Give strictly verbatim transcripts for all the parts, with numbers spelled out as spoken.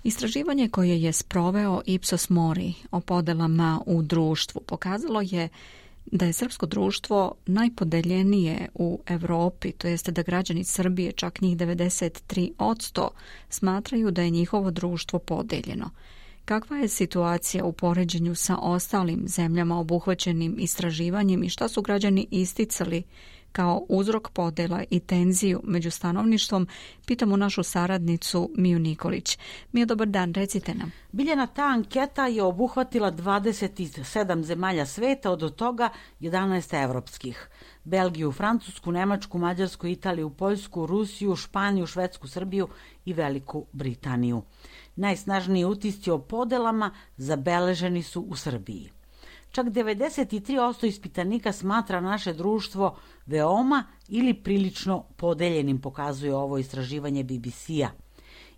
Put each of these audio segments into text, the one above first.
Istraživanje koje je sproveo Ipsos Mori o podelama u društvu pokazalo je da je srpsko društvo najpodeljenije u Evropi, to jeste da građani Srbije, čak njih devedeset tri posto, smatraju da je njihovo društvo podeljeno. Kakva je situacija u poređenju sa ostalim zemljama obuhvaćenim istraživanjem i šta su građani isticali kao uzrok podela i tenziju među stanovništvom, pitamo našu saradnicu Miju Nikolić. Miju, dobar dan, recite nam. Biljana, ta anketa je obuhvatila dvadeset sedam zemalja sveta, od toga jedanaest evropskih. Belgiju, Francusku, Nemačku, Mađarsku, Italiju, Poljsku, Rusiju, Španiju, Švedsku, Srbiju i Veliku Britaniju. Najsnažniji utisci o podelama zabeleženi su u Srbiji. Čak devedeset tri posto ispitanika smatra naše društvo veoma ili prilično podeljenim, pokazuje ovo istraživanje B B C-a.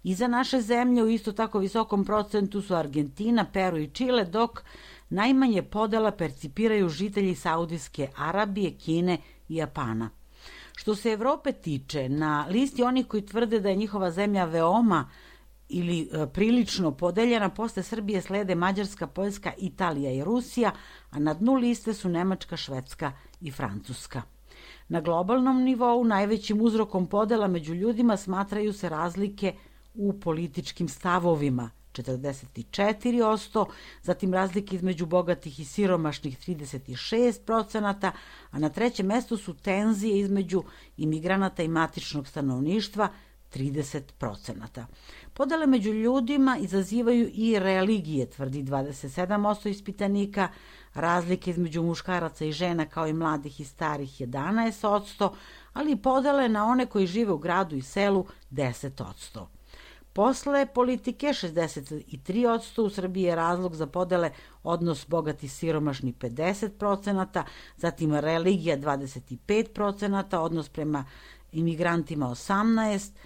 Iza naše zemlje u isto tako visokom procentu su Argentina, Peru i Čile, dok najmanje podela percipiraju žitelji Saudijske Arabije, Kine i Japana. Što se Evrope tiče, na listi onih koji tvrde da je njihova zemlja veoma ili e, prilično podeljena, posle Srbije slede Mađarska, Poljska, Italija i Rusija, a na dnu liste su Nemačka, Švedska i Francuska. Na globalnom nivou najvećim uzrokom podela među ljudima smatraju se razlike u političkim stavovima, četrdeset četiri posto, zatim razlike između bogatih i siromašnih trideset šest procenata, a na trećem mestu su tenzije između imigranata i matičnog stanovništva, trideset procenata. Podele među ljudima izazivaju i religije, tvrdi dvadeset sedam posto ispitanika, razlike između muškaraca i žena kao i mladih i starih jedanaest posto, ali i podele na one koji žive u gradu i selu deset posto. Posle politike šezdeset tri posto, u Srbiji je razlog za podele odnos bogati siromašni pedeset procenata, zatim religija dvadeset pet procenata, odnos prema imigrantima osamnaest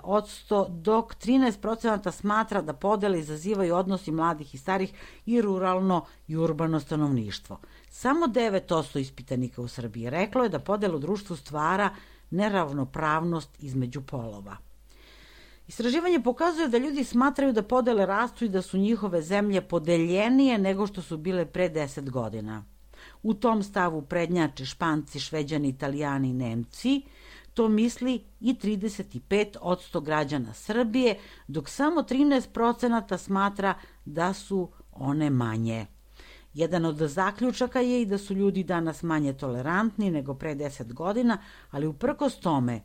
posto, dok trinaest procenata smatra da podele izazivaju odnosi mladih i starih i ruralno i urbano stanovništvo. Samo devet posto ispitanika u Srbiji reklo je da podela u društvu stvara neravnopravnost između polova. Istraživanje pokazuje da ljudi smatraju da podele rastu i da su njihove zemlje podeljenije nego što su bile pre deset godina. U tom stavu prednjače Španci, Šveđani, Italijani i Nemci. To misli i trideset pet posto građana Srbije, dok samo trinaest procenata smatra da su one manje. Jedan od zaključaka je i da su ljudi danas manje tolerantni nego pre deset godina, ali uprkos tome,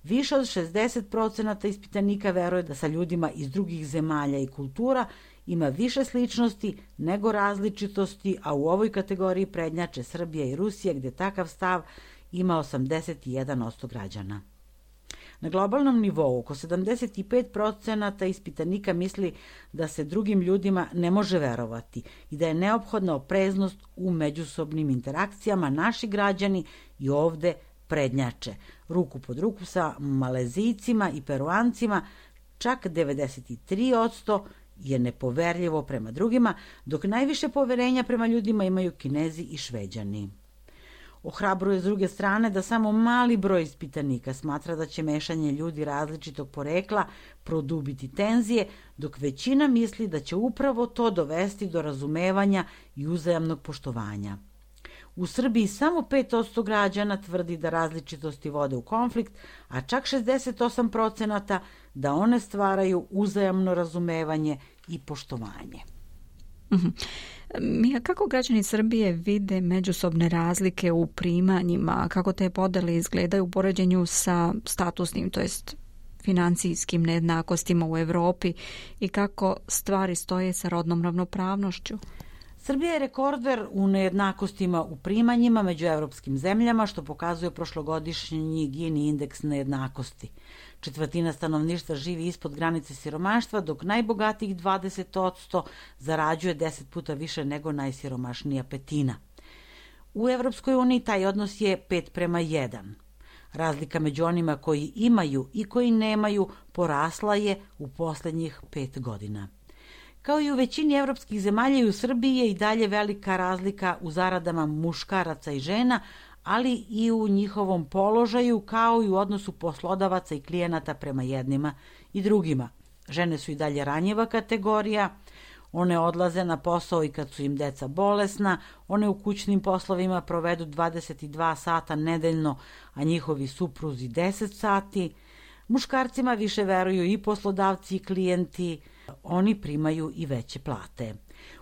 više od šezdeset procenata ispitanika veruje da sa ljudima iz drugih zemalja i kultura ima više sličnosti nego različitosti, a u ovoj kategoriji prednjače Srbija i Rusija, gde takav stav ima osamdeset jedan posto građana. Na globalnom nivou oko sedamdeset pet procenata ispitanika misli da se drugim ljudima ne može verovati i da je neophodna opreznost u međusobnim interakcijama. Naši građani i ovde prednjače, ruku pod ruku sa Malezijcima i Peruancima, čak devedeset tri posto je nepoverljivo prema drugima, dok najviše poverenja prema ljudima imaju Kinezi i Šveđani. Ohrabruje s druge strane da samo mali broj ispitanika smatra da će mešanje ljudi različitog porekla produbiti tenzije, dok većina misli da će upravo to dovesti do razumevanja i uzajamnog poštovanja. U Srbiji samo pet posto građana tvrdi da različitosti vode u konflikt, a čak šezdeset osam procenata da one stvaraju uzajamno razumevanje i poštovanje. Mm-hmm. Mija, kako građani Srbije vide međusobne razlike u primanjima, kako te podele izgledaju u poređenju sa statusnim, to jest financijskim nejednakostima u Evropi i kako stvari stoje sa rodnom ravnopravnošću? Srbija je rekorder u nejednakostima u primanjima među evropskim zemljama, što pokazuje prošlogodišnji Gini indeks nejednakosti. Četvrtina stanovništva živi ispod granice siromaštva, dok najbogatijih dvadeset posto zarađuje deset puta više nego najsiromašnija petina. U Evropskoj uniji taj odnos je pet prema jedan. Razlika među onima koji imaju i koji nemaju porasla je u poslednjih pet godina. Kao i u većini evropskih zemalja, i u Srbiji je i dalje velika razlika u zaradama muškaraca i žena, ali i u njihovom položaju, kao i u odnosu poslodavaca i klijenata prema jednima i drugima. Žene su i dalje ranjiva kategorija, one odlaze na posao i kad su im deca bolesna, one u kućnim poslovima provedu dvadeset dva sata nedeljno, a njihovi supruzi deset sati. Muškarcima više veruju i poslodavci i klijenti, oni primaju i veće plate.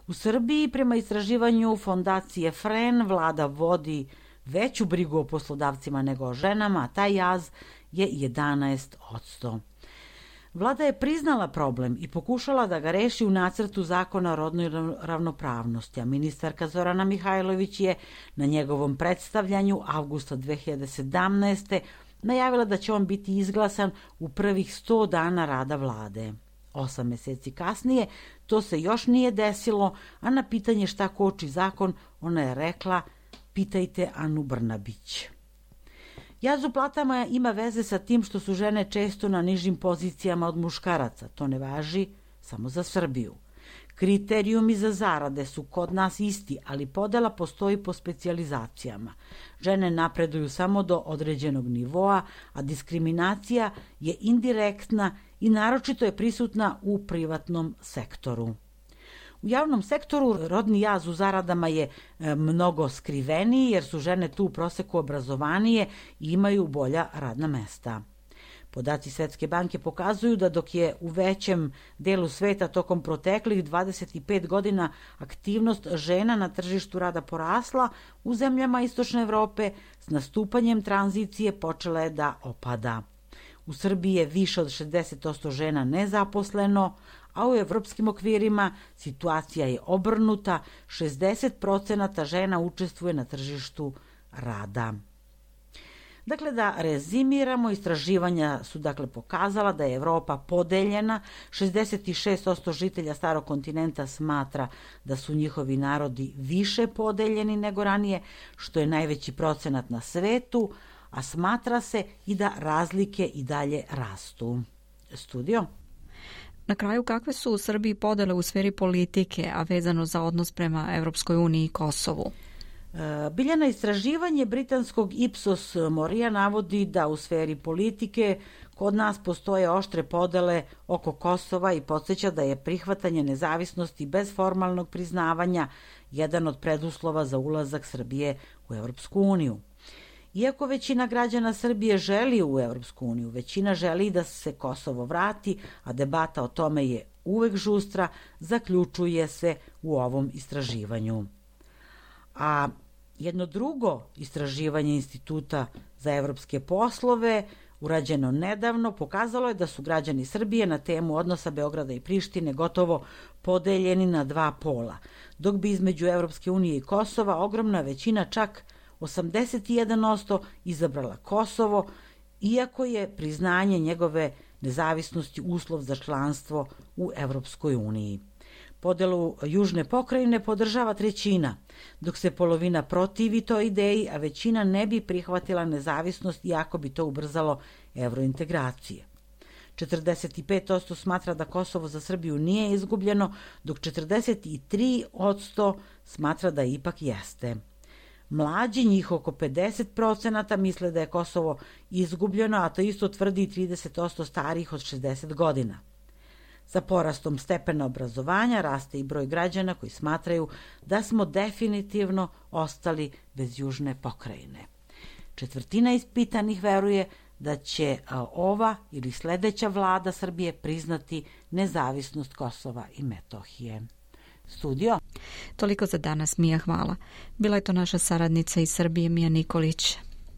U Srbiji, prema istraživanju fondacije F R E N, vlada vodi veću brigu o poslodavcima nego o ženama, a taj jaz je jedanaest posto. Vlada je priznala problem i pokušala da ga reši u nacrtu zakona o rodnoj ravnopravnosti, a ministarka Zorana Mihajlović je na njegovom predstavljanju avgusta dve hiljade sedamnaeste. najavila da će on biti izglasan u prvih sto dana rada vlade. Osam meseci kasnije to se još nije desilo, a na pitanje šta koči zakon, ona je rekla: pitajte Anu Brnabić. Jaz u platama ima veze sa tim što su žene često na nižim pozicijama od muškaraca. To ne važi samo za Srbiju. Kriterijumi za zarade su kod nas isti, ali podela postoji po specijalizacijama. Žene napreduju samo do određenog nivoa, a diskriminacija je indirektna i naročito je prisutna u privatnom sektoru. U javnom sektoru rodni jaz u zaradama je mnogo skriveniji jer su žene tu u proseku obrazovanije i imaju bolja radna mesta. Podaci Svetske banke pokazuju da dok je u većem delu sveta tokom proteklih dvadeset pet godina aktivnost žena na tržištu rada porasla, u zemljama Istočne Evrope s nastupanjem tranzicije počela je da opada. U Srbiji je više od šezdeset posto žena nezaposleno, a u evropskim okvirima situacija je obrnuta, šezdeset procenata žena učestvuje na tržištu rada. Dakle, da rezimiramo, istraživanja su dakle pokazala da je Evropa podeljena, šezdeset šest posto žitelja starog kontinenta smatra da su njihovi narodi više podeljeni nego ranije, što je najveći procenat na svetu, a smatra se i da razlike i dalje rastu. Studio? Na kraju, kakve su u Srbiji podele u sferi politike, a vezano za odnos prema Evropskoj uniji i Kosovu? Biljano istraživanje britanskog Ipsos Morija navodi da u sferi politike kod nas postoje oštre podele oko Kosova i podsjeća da je prihvatanje nezavisnosti bez formalnog priznavanja jedan od preduslova za ulazak Srbije u Evropsku uniju. Iako većina građana Srbije želi u Evropsku uniju, većina želi da se Kosovo vrati, a debata o tome je uvek žustra, zaključuje se u ovom istraživanju. A jedno drugo istraživanje Instituta za evropske poslove, urađeno nedavno, pokazalo je da su građani Srbije na temu odnosa Beograda i Prištine gotovo podeljeni na dva pola, dok bi između Evropske unije i Kosova ogromna većina, čak osamdeset jedan posto, izabrala Kosovo, iako je priznanje njegove nezavisnosti uslov za članstvo u Evropskoj uniji. Podelu južne pokrajine podržava trećina, dok se polovina protivi toj ideji, a većina ne bi prihvatila nezavisnost iako bi to ubrzalo evrointegracije. četrdeset pet posto smatra da Kosovo za Srbiju nije izgubljeno, dok četrdeset tri posto smatra da ipak jeste. Mlađi, njih oko pedeset procenata, misle da je Kosovo izgubljeno, a to isto tvrdi i trideset posto starih od šezdeset godina. Sa porastom stepena obrazovanja raste i broj građana koji smatraju da smo definitivno ostali bez južne pokrajine. Četvrtina ispitanih veruje da će ova ili sledeća vlada Srbije priznati nezavisnost Kosova i Metohije. Studio? Toliko za danas, Mija, hvala. Bila je to naša saradnica iz Srbije, Mija Nikolić.